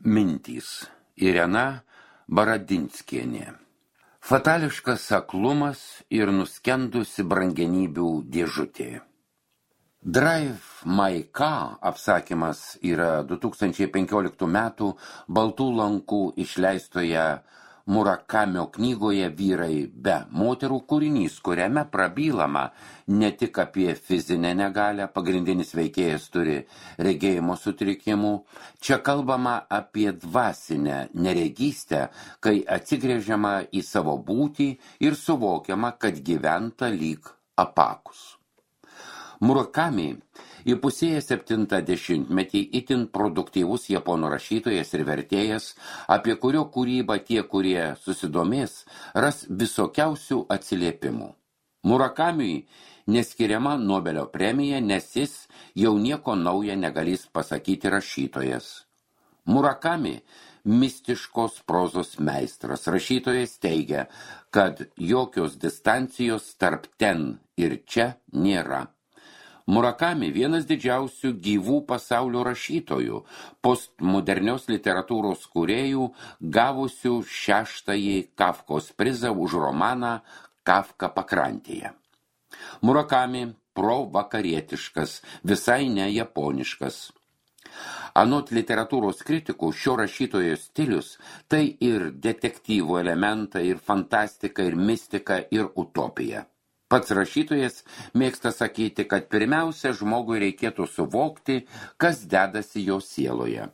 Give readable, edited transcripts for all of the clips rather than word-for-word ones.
Mintys. Irena Baradinskienė. Fatališkas aklumas ir nuskendusi brangenybių dėžutė. Drive My Car apsakymas yra 2015 metų Baltų lankų išleistoje Murakamio knygoje Vyrai be moterų kūrinys, kuriame prabylama ne tik apie fizinę negalią, pagrindinis veikėjas turi regėjimo sutrikimų, čia kalbama apie dvasinę neregystę, kai atsigręžiama į savo būtį ir suvokiama, kad gyventa lyg apakus. Murakami įpusėjęs 70-metį itin produktyvus japonų rašytojas ir vertėjas, apie kurio kūrybą tie, kurie susidomės, ras visokiausių atsiliepimų. Murakamiui neskiriama Nobelio premija, nes jis jau nieko naujo negalės pasakyti rašytojas. Murakami mistiškos prozos meistras. Rašytojas teigia, kad jokios distancijos tarp ten ir čia nėra. Murakami vienas didžiausių gyvų pasaulio rašytojų, postmodernios literatūros kūrėjų, gavusių 6-ąjį Kafkos prizą už romaną Kafka pakrantėje. Murakami provakarietiškas, visai ne japoniškas. Anot literatūros kritikų, šio rašytojo stilius tai ir detektyvų elementai, ir fantastika, ir mistika, ir utopija. Pats rašytojas mėgsta sakyti, kad pirmiausia žmogui reikėtų suvokti, kas dedasi jo sieloje.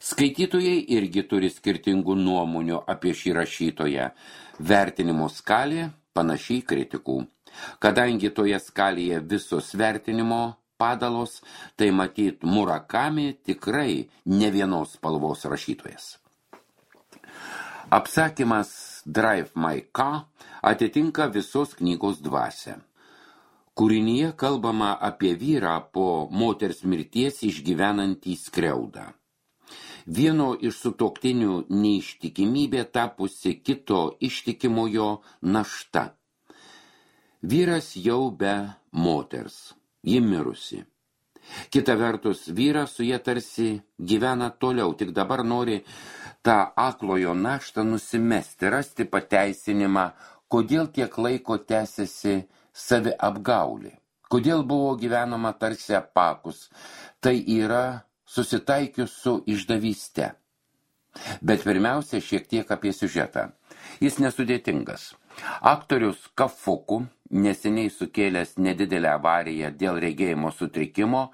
Skaitytojai irgi turi skirtingų nuomonių apie šį rašytoją. Vertinimo skalė panašiai kritikų. Kadangi toje skalėje visos vertinimo padalos, tai matyt Murakami tikrai ne vienos spalvos rašytojas. Apsakymas Drive My Car atitinka visos knygos dvasią. Kūrinyje kalbama apie vyrą po moters mirties išgyvenantį skriaudą. Vieno iš sutuoktinių neištikimybė tapusi kito ištikimojo našta. Vyras jau be moters, ji mirusi. Kita vertus, vyras su jie tarsi gyvena toliau, tik dabar nori tą aklojo naštą nusimesti, rasti pateisinimą, kodėl tiek laiko tęsiasi saviapgaulė, kodėl buvo gyvenama tarsi apakus, tai yra susitaikius su išdavyste. Bet pirmiausia, šiek tiek apie siužetą. Jis nesudėtingas. Aktorius Kafuku, neseniai sukėlęs nedidelę avariją dėl regėjimo sutrikimo,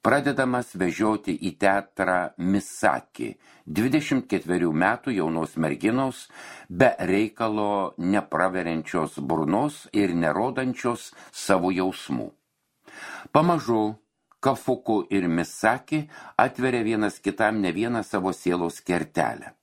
pradedamas vežioti į teatrą Misaki, 24 metų jaunos merginos, be reikalo nepraveriančios burnos ir nerodančios savo jausmų. Pamažu Kafuku ir Misaki atveria vienas kitam ne vieną savo sielos kertelę.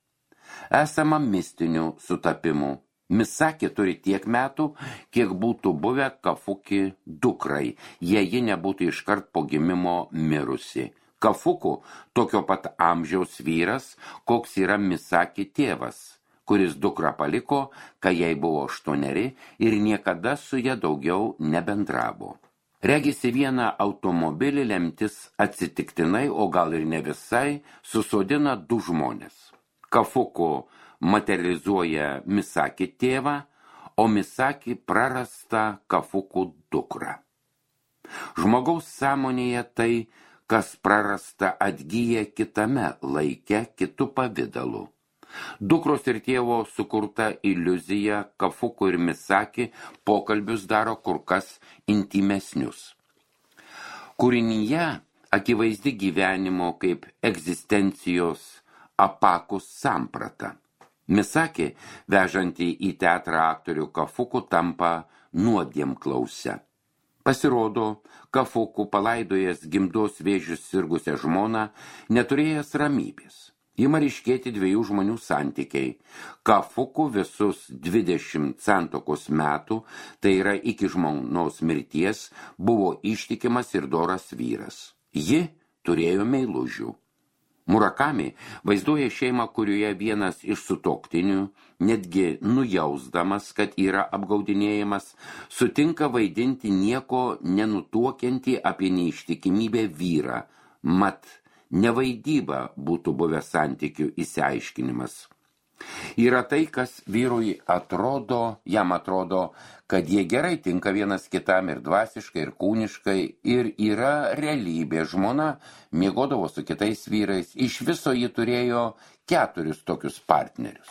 Esama mistinių sutapimų. Misaki turi tiek metų, kiek būtų buvę Kafuki dukrai, jei ji nebūtų iškart po gimimo mirusi. Kafuku tokio pat amžiaus vyras, koks yra Misaki tėvas, kuris dukrą paliko, kai jai buvo 8 ir niekada su ja daugiau nebendravo. Regisi vieną automobilį lemtis atsitiktinai, o gal ir ne visai, susodina 2 žmonės. Kafuku materializuoja Misaki tėvą, o Misaki prarasta Kafuku dukrą. Žmogaus sąmonėje tai, kas prarasta, atgyja kitame laike, kitu pavidalu. Dukros ir tėvo sukurta iliuzija Kafuku ir Misaki pokalbius daro kur kas intimesnius. Kūrinyje akivaizdi gyvenimo kaip egzistencijos apakus samprata. Misaki, vežanti į teatrą aktorių Kafuku, tampa nuodėmklause. Pasirodo, Kafuku, palaidojęs gimdos vėžius sirgusią žmoną, neturėjęs ramybės. Ima ryškėti 2 žmonių santykiai. Kafuku visus 20 santuokos metų, tai yra iki žmonos mirties, buvo ištikimas ir doras vyras. Ji turėjo meilužių. Murakami vaizduoja šeimą, kurioje vienas iš sutuoktinių, netgi nujausdamas, kad yra apgaudinėjimas, sutinka vaidinti nieko nenutuokiantį apie neištikimybę vyrą, mat nevaidyba būtų buvęs santykių išsiaiškinimas. Yra tai, kas vyrui jam atrodo, kad jie gerai tinka vienas kitam ir dvasiškai, ir kūniškai, ir yra realybė. Žmona miegodavo su kitais vyrais, iš viso ji turėjo 4 tokius partnerius.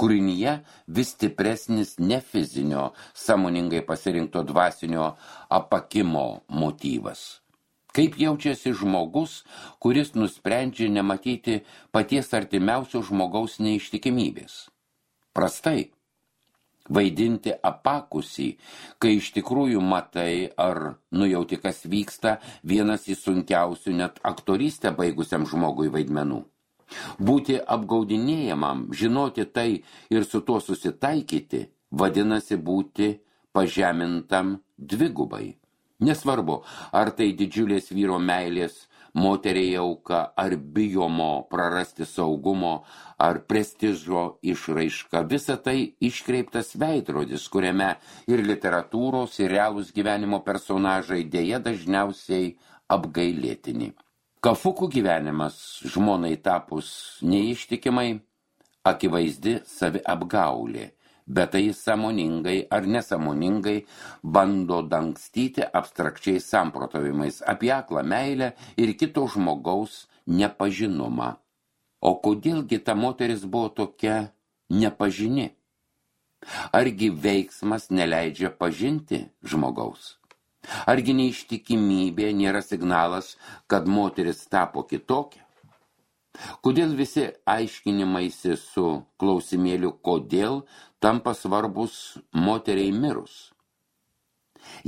Kūrinyje vis stipresnis ne fizinio, sąmoningai pasirinkto dvasinio apakimo motyvas. Kaip jaučiasi žmogus, kuris nusprendžia nematyti paties artimiausio žmogaus neištikimybės? Prastai. Vaidinti apakusį, kai iš tikrųjų matai ar nujauti, kas vyksta, vienas iš sunkiausių net aktorystę baigusiam žmogui vaidmenų. Būti apgaudinėjamam, žinoti tai ir su tuo susitaikyti, vadinasi būti pažemintam dvigubai. Nesvarbu, ar tai didžiulės vyro meilės, moteriai auka, ar bijomo prarasti saugumo, ar prestižo išraiška. Visa tai iškreiptas veidrodis, kuriame ir literatūros, ir realūs gyvenimo personažai dėja dažniausiai apgailėtini. Kafukų gyvenimas žmonai tapus neištikimai, akivaizdi saviapgaulė. Bet tai sąmoningai ar nesąmoningai bando dangstyti abstrakčiais samprotavimais apie aklą meilę ir kito žmogaus nepažinumą. O kodėlgi ta moteris buvo tokia nepažini? Argi veiksmas neleidžia pažinti žmogaus? Argi neištikimybė nėra signalas, kad moteris tapo kitokia? Kodėl visi aiškinimaisi su klausimėliu kodėl tampa svarbus moteriai mirus?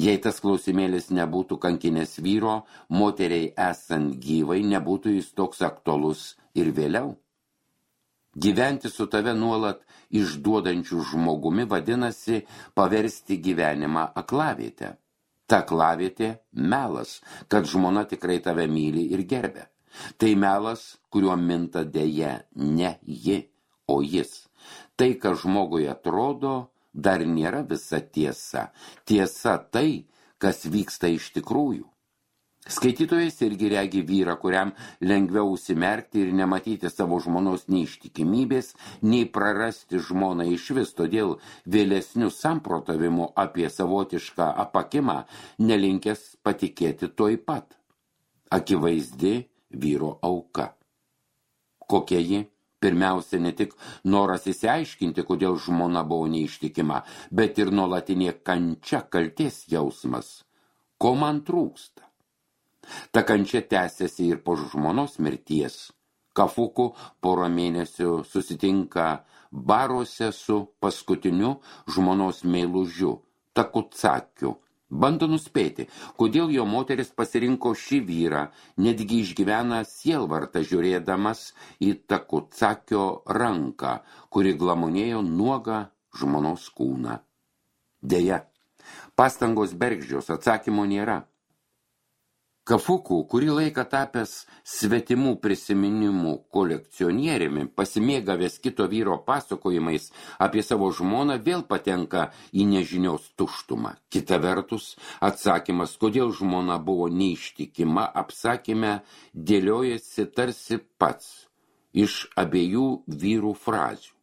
Jei tas klausimėlis nebūtų kankinės vyro, moteriai esant gyvai nebūtų jis toks aktualus ir vėliau. Gyventi su tave nuolat išduodančiu žmogumi vadinasi paversti gyvenimą aklavietę. Ta aklavietė melas, kad žmona tikrai tave myli ir gerbia. Tai melas, kuriuo minta dėja ne ji, o jis. Tai, kas žmogui atrodo, dar nėra visa tiesa. Tiesa tai, kas vyksta iš tikrųjų. Skaitytojas irgi regi vyrą, kuriam lengviau užsimerkti ir nematyti savo žmonos neištikimybės, nei prarasti žmoną iš vis, todėl vėlesnių samprotavimų apie savotišką apakimą nelinkęs patikėti toj pat. Akivaizdi vyro auka. Kokia ji? Pirmiausia, ne tik noras įsiaiškinti, kodėl žmona buvo neištikima, bet ir nuolatinė kančia, kaltės jausmas. Ko man trūksta? Ta kančia tęsiasi ir po žmonos mirties. Kafuku porą mėnesių susitinka baruose su paskutiniu žmonos meilužiu, Takutsakiu. Bando nuspėti, kodėl jo moteris pasirinko šį vyrą, netgi išgyvena sielvartą žiūrėdamas į Takutsakio ranką, kuri glamonėjo nuogą žmonos kūną. Deja, pastangos bergždžios, atsakymo nėra. Kafuku, kurį laiką tapęs svetimų prisiminimų kolekcionieriumi, pasimėgavęs kito vyro pasakojimais apie savo žmoną, vėl patenka į nežinios tuštumą. Kita vertus, atsakymas, kodėl žmona buvo neištikima, apsakyme dėliojasi tarsi pats iš abiejų vyrų frazių.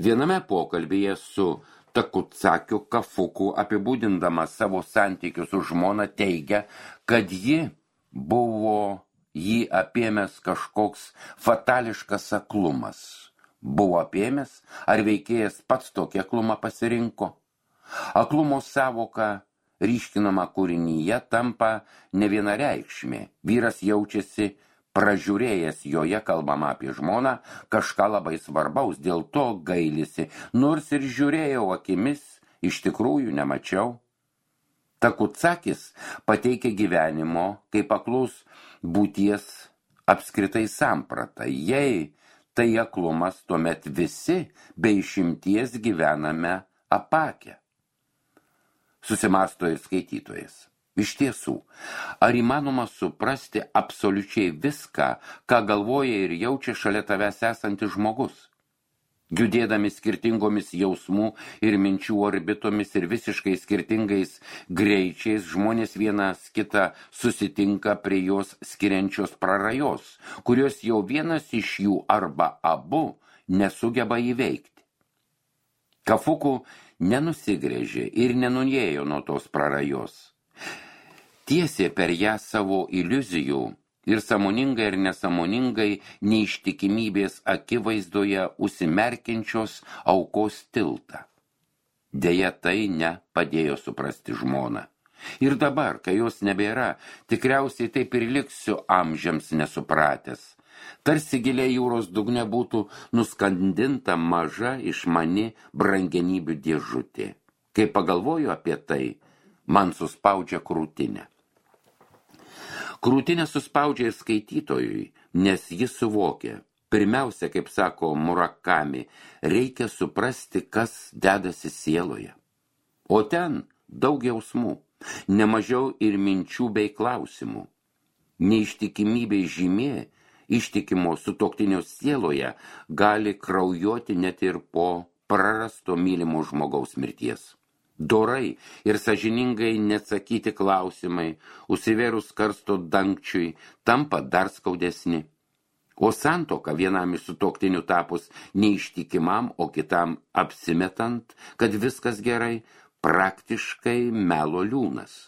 Viename pokalbyje su Takutsakiu Kafuku apibūdindama savo santykius su žmona teigia, kad ji buvo jį apėmęs kažkoks fatališkas aklumas. Buvo apėmęs, ar veikėjas pats tokį aklumą pasirinko? Aklumo sąvoka ryškinama kūrinyje tampa nevienareikšmė. Vyras jaučiasi pražiūrėjęs, joje kalbama apie žmoną, kažką labai svarbaus, dėl to gailisi, nors ir žiūrėjau akimis, iš tikrųjų nemačiau. Takutsakis pateikia gyvenimo kaip aklus būties apskritai sampratą. Jei tai aklumas, tuomet visi be išimties gyvename apakę. Susimąsto ir skaitytojas. Iš tiesų, ar įmanoma suprasti absoliučiai viską, ką galvoja ir jaučia šalia tavęs esantis žmogus? Judėdami skirtingomis jausmų ir minčių orbitomis ir visiškai skirtingais greičiais, žmonės vienas kitą susitinka prie jos skiriančios prarajos, kurios jau vienas iš jų arba abu nesugeba įveikti. Kafuku nenusigrėžė ir nenujėjo nuo tos prarajos. Tiesė per ją savo iliuzijų ir sąmoningai ir nesąmoningai neištikimybės akivaizdoje užsimerkiančios aukos tiltą. Deja, tai nepadėjo suprasti žmoną. Ir dabar, kai jos nebėra, tikriausiai taip ir liksiu amžiams nesupratęs. Tarsi giliai jūros dugne būtų nuskandinta maža išmani brangenybių dėžutė. Kai pagalvoju apie tai, man suspaudžia krūtinę. Krūtinę suspaudžia ir skaitytojui, nes jis suvokia. Pirmiausia, kaip sako Murakami, reikia suprasti, kas dedasi sieloje. O ten daug jausmų, nemažiau ir minčių bei klausimų. Neištikimybė žymė, ištikimo sutuoktinio sieloje gali kraujuoti net ir po prarasto mylimo žmogaus mirties. Dorai ir sąžiningai neatsakyti klausimai, užsivėrus karsto dangčiui, tampa dar skaudesni. O santuoka vienam iš sutuoktinių tapus neištikimam, o kitam apsimetant, kad viskas gerai, praktiškai melo liūnas.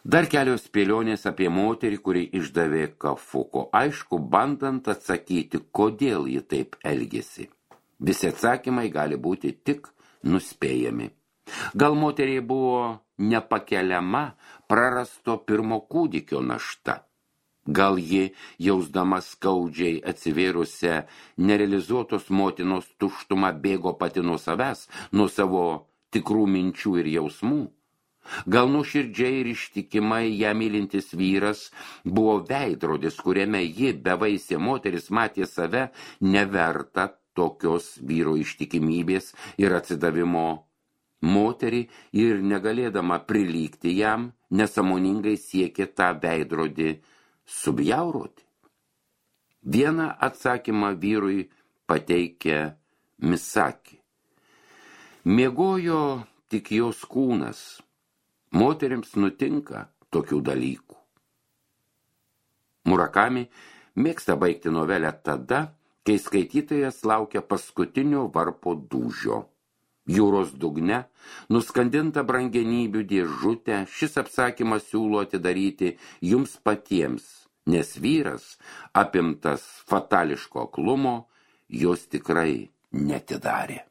Dar kelios spėlionės apie moterį, kuri išdavė Kafuko, aišku, bandant atsakyti, kodėl ji taip elgėsi. Visi atsakymai gali būti tik nuspėjami. Gal moteriai buvo nepakeliama prarasto pirmo kūdikio našta. Gal ji, jausdama skaudžiai atsivėrusią nerealizuotos motinos tuštumą, bėgo pati nuo savęs, nuo savo tikrų minčių ir jausmų. Gal nuoširdžiai ir ištikimai ją mylintis vyras buvo veidrodis, kuriame ji, bevaisė moteris, matė save neverta tokios vyro ištikimybės ir atsidavimo moterį ir negalėdama prilygti jam, nesąmoningai siekė tą veidrodį subjauroti. Vieną atsakymą vyrui pateikė Misaki. Miegojo tik jos kūnas. Moterims nutinka tokių dalykų. Murakami mėgsta baigti novelę tada, kai skaitytojas laukia paskutinio varpo dūžio. Jūros dugne, nuskandinta brangenybių dėžutę, šis apsakymas siūlo atidaryti jums patiems, nes vyras, apimtas fatališko aklumo, jos tikrai neatidarė.